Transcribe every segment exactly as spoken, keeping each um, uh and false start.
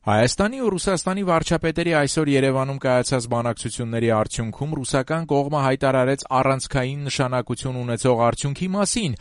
Հայաստանի ու Ռուսաստանի վարչապետերի այսօր Երևանում կայացած բանակցությունների արդյունքում ռուսական կողմը հայտարարեց առանցքային նշանակություն ունեցող արդյունքի մասին.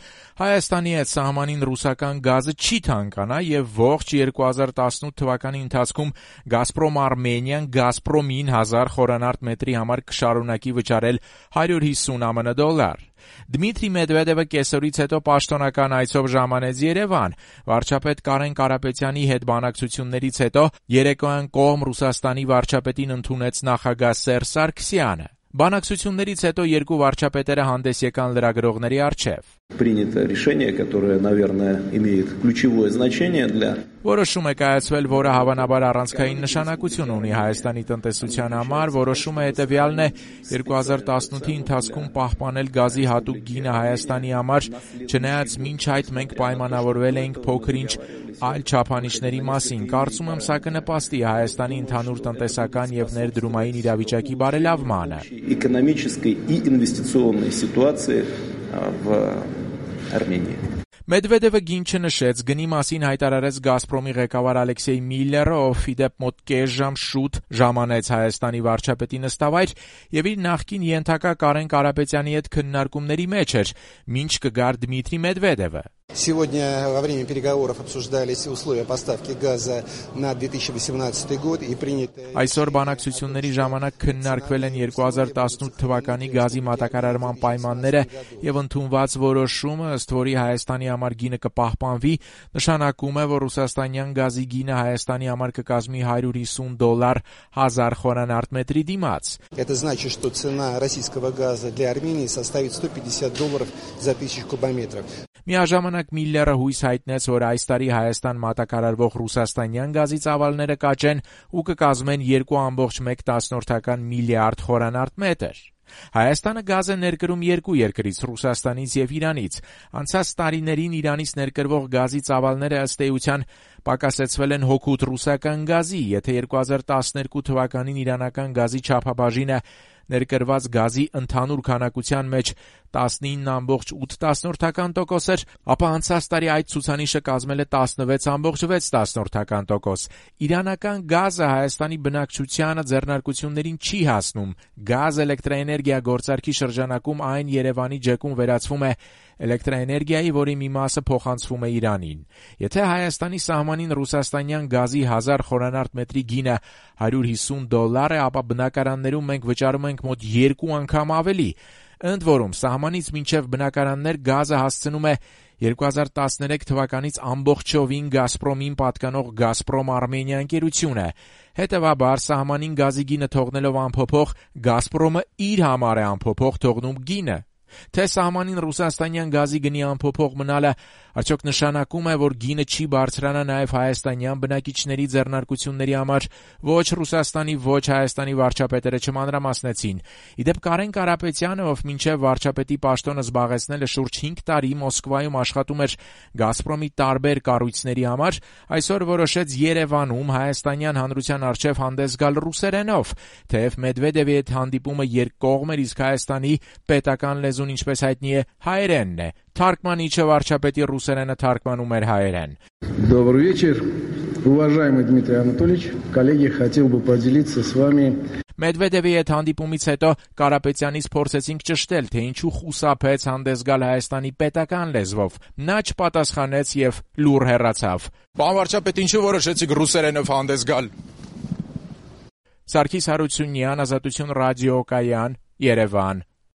Հայաստանի հետ սահմանին ռուսական գազը չի թանկանա եւ ողջ երկու հազար տասնութ թվականի ընթացքում Գազպրոմ Արմենիան Գազպրոմին հազար խորանարդ մետրի համար կշարունակի վճարել հարյուր հիսուն ԱՄՆ դոլար։ Դմիտրի Մեդվեդևը կեսօրից հետո պաշտոնական այցով ժամանեց Երևան։ Վարչապետ Կարեն Կարապետյանի հետ բանակցություններից հետո երեկոյան կողմ Ռուսաստանի վարչապետին ընդունեց նախագահ Սերժ Սարգսյանը։ Բանակցություններից հետո երկու վարչապետերը հանդես եկան լրագրողների առջև։ Принято решение, которое, наверное, имеет ключевое значение для Որոշում է կայացվել, որը հավանաբար առանցքային նշանակություն ունի Հայաստանի տնտեսության համար, որոշումը հետևյալն է՝ երկու հազար տասնութի ընթացքում պահպանել գազի հատուկ գինը Հայաստանի համար, չնայած մինչ այդ մենք պայմանավորվել էինք փոքր-ինչ այլ չափանիշների մասին։ Կարծում եմ, սա կնպաստի Հայաստանի ընդհանուր տնտեսական եւ ներդրումային իրավիճակի բարելավմանը։ Экономической и инвестиционной ситуации в Армении. Մեդվեդևը գին չնշեց, գնի մասին հայտարարեց Գազպրոմի ղեկավար Ալեքսեյ Միլլերը, ով իդեպ մոտ կես ժամ շուտ ժամանեց Հայաստանի варչապետի նստավայր եւ իր նախկին ենթակա Կարեն Կարապետյանի հետ քննարկումների մեջ էր, մինչ կգար Դմիտրի Մեդվեդևը։ Сегодня во время переговоров обсуждались условия поставки газа на две тысячи восемнадцатый год и приняты Այսօր բանակցությունների ժամանակ քննարկվել են երկու հազար տասնութ թվականի գազի մատակարարման պայմանները եւ ընդունված որոշումը, ըստ որի Հայաստանի համար գինը կպահպանվի, նշանակում է, որ ռուսաստանյան գազի գինը Հայաստանի համար կկազմի հարյուր հիսուն դոլար հազար խորանարդ մետրի դիմաց։ Это значит, что цена российского газа для Армении составит сто пятьдесят долларов за тысячу кубометров. Միաժամանակ Միլլերը հույս հայտնեց, որ այս տարի Հայաստան մատակարարվող ռուսաստանյան գազի ծավալները կաճեն ու կկազմեն երկու կόμma մեկ միլիարդ խորանարդ մետր։ Հայաստանը գազ է ներկրում երկու երկրից՝ Ռուսաստանից եւ Իրանից։ Անցած տարիներին Իրանից ներկրվող գազի ծավալները ըստ էության պակասեցվել են հօգուտ ռուսական գազի, եթե երկու հազար տասներկու թվականին իրանական գազի չափաբաժինը ներկրված գազի ընդհանուր քանակության մեջ տասնինը կόμma ութ տոկոս էր, ապա անցած տարի այդ ցուցանիշը կազմել է տասնվեց կόμma վեց տոկոս։ Իրանական գազը Հայաստանի բնակչությանը ձեռնարկություններին չի հասնում։ Գազ էլեկտրաէներգիա գործարքի շրջանակում այն Երևանի ջեկում վերածվում է էլեկտրաէներգիայի, որի մի մասը փոխանցվում է Իրանին։ Եթե Հայաստանի սահմանին ռուսաստանյան գազի հազար խորանարդ մետրի գինը հարյուր հիսուն դոլար է, ապա բնակարաններում մենք վճարում ենք մոտ երկու անգամ ավելի։ Ընդ որում, սահմանից մինչև բնակարաններ գազը հասցնում է երկու հազար տասներեք թվականից ամբողջովին Գազպրոմին պատկանող Գազպրոմ Արմենիա ընկերությունը։ Հետևաբար, սահմանին գազի գինը թողնելով անփոփոխ, Գազպրոմը իր համար է անփոփոխ թողնում գինը։ Թե սահմանին ռուսաստանյան գազի գնի անփոփոխ մնալը արդյոք նշանակում է, որ գինը չի բարձրանա նաև հայաստանյան բնակիչների ձեռնարկությունների համար, ոչ Ռուսաստանի, ոչ Հայաստանի վարչապետերը չմանրամասնեցին։ Իդեպ Կարեն Կարապետյանը, ով մինչև վարչապետի պաշտոնը զբաղեցնել է շուրջ հինգ տարի, Մոսկվայում աշխատում էր Գազպրոմի տարբեր կառույցների համար, այսօր որոշեց Երևանում հայաստանյան հանրության առջև հանդես գալ ռուսերենով, թեև Մեդվեդևի հետ հանդիպումը երկկողմ էր, իսկ Հայաստանի պետական լեզուն, ինչպես հայտնի է, հայերենն է։ Թարգմանիչը վարչապետի ռուսերենը թարգմանում էր հայերեն։ Добрый вечер, уважаемый Дмитрий Анатольевич. Коллеги, хотел бы поделиться с вами Մեդվեդևի հետ հանդիպումից հետո Կարապետյանից փորձեցինք ճշտել, թե ինչու խուսափեց հանդես գալ Հայաստանի պետական լեզվով։ Նա չպատասխանեց եւ լուռ հեռացավ։ Պարոն վարչապետ, ինչու որոշեցիք ռուսերենով հանդես գալ։ Սարգիս Հարությունյան, Ազատություն ռադիոկայան, Երևան։